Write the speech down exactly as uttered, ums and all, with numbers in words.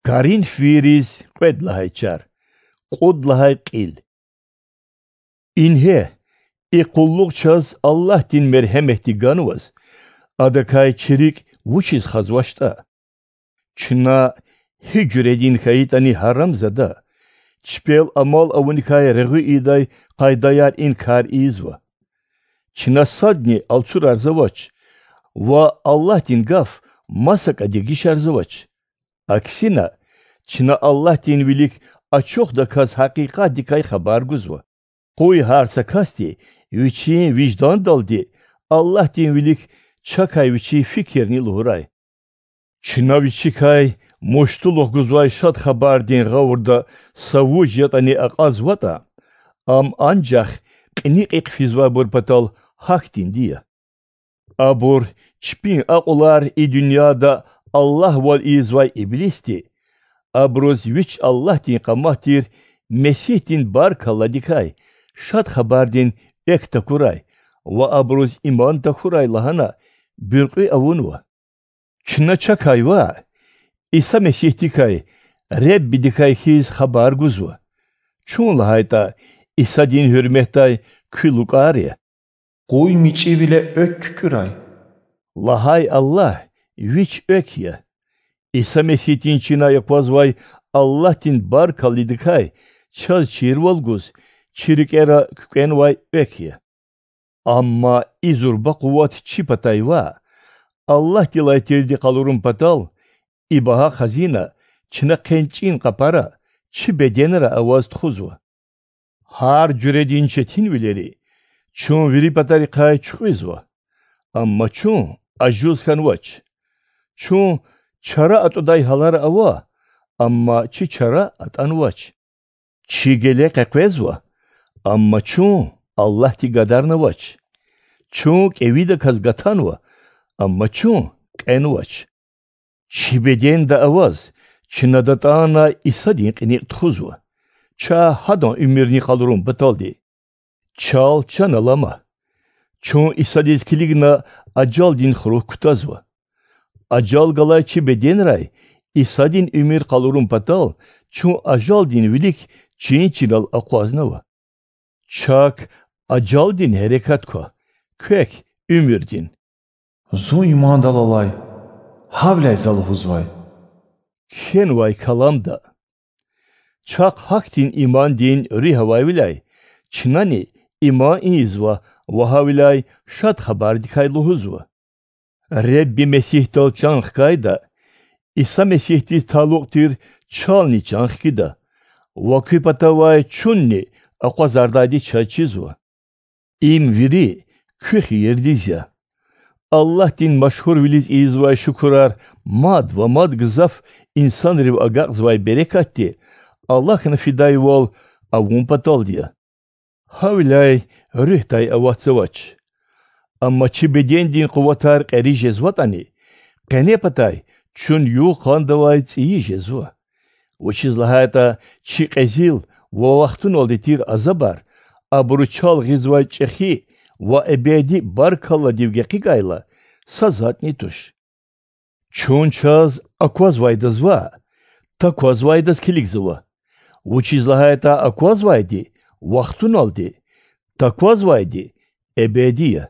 Коринф вириз кьвед лагьай чар, кьуд лагьай кьил. Ингье, и къуллугъ чаз Аллагьдин мергьеметди ганваз, Адакай чи рикӀ вучиз хазвачтӀа. Чна, гьи жуьредин хьайитӀани гьарамзада, чпел амал авуникай регъуь ийидай къайдаяр и кар ийизва. Чна садни алцурарзавач ва Аллагьдин гаф масакӀа дегишарзавач. Аксина, чна Аллагьдин вилик ачухдаказ гьакъикъатдикай хабар гузва. Къуй гьар са касди вичин виждандалди Аллагьдин вилик чакай вичин фикирни лугьурай. Чна вичикай муштулух гузвай Шад Хабардин гъавурда са вуж ятӀани акьазватӀа, ам анжах кьиникьихъ физвайбур патал гьахьтинди я. Абур, чпин акьулар и дуьньяда аллагьвал ийизвай иблисди, абуруз вич Аллагьдин къамат тир Месигьдин баркалладикай Шад Хабардин экв такурай ва абуруз иман тахьурай лагьана буьркьуь авунва. Чна чакай ваъ, Иса Месигьдикай, Реббидикай хьиз хабар гузва. Чун, лагьайтӀа, Исадин гьуьрметдай куь лукӀар я. Къуй мичӀивиле экв куькӀуьрай,— лагьай Аллагь Вич Экв я. Иса Месигьдин чинай аквазвай Аллагьдин баркалладикай чаз чирвал гуз чи рикӀера куькӀвенвай экв я. Амма и зурба къуват чи патай ваъ, Аллагьдилай тирди къалурун патал, и багьа хазина чна хъенчӀин къапара, чи беденра аваз тухузва. Гьар жуьредин четинвилери чун вири патарихъай чуькьвезва, амма чун ажуз хьанвач. Чун чара атӀудай гьалара ава, амма чи чара атӀанвач. Чи геле къекъвезва, амма чун Аллагьди гадарнавач. Чун кӀевидаказ гатанва, амма чун кьенвач. Чи беденда аваз чна датӀана Исадин кьиникь тухузва, ча Гьадан уьмуьрни къалурун паталди. Чал чан алама. Чун Исадиз килигна ажалдин хурук кутазва. Ажал галай чи беденрай Исадин уьмуьр къалурун патал чун ажалдин вилик чин-чинал акъвазнава. Чак ажалдин гьерекат ква, квек— уьмуьрдин. Зун имандал алай, гьавиляй за лугьузвай— кхьенвай каламда. Чахъ гьахьтин имандин руьгь авайвиляй чнани иман ийизва ва гьавиляй Шад Хабардикай лугьузва. Ребби Месигьдал чан хкайда, Иса Месигьдиз талукь тир чални чан хкида, ва куь патавай чунни акъвазардайди чаз чизва. Им вири куь хийирдиз я. Аллагьдин машгьурвилиз ийизвай шукурар мад ва мад гзаф инсанрив агакьзавай берекатди алахьна фидайвал авун паталди я. Гьавиляй руьгьдай аватзавач. Амма чи бедендин къуватар кьери жезватӀани, къене патай чун югъ-къандавай цӀийи жезва. Вучиз лагьайтӀа чи кьезил ва вахтуналди тир азабар, абуру чал гъизвай чӀехи ва эбеди баркалладив гекъигайла, са затӀни туш. Чун чаз аквазвайдаз ваъ, таквазвайдаз килигзава, вучиз лагьайтӀа аквазвайди вахтуналди, таквазвайди эбеди я.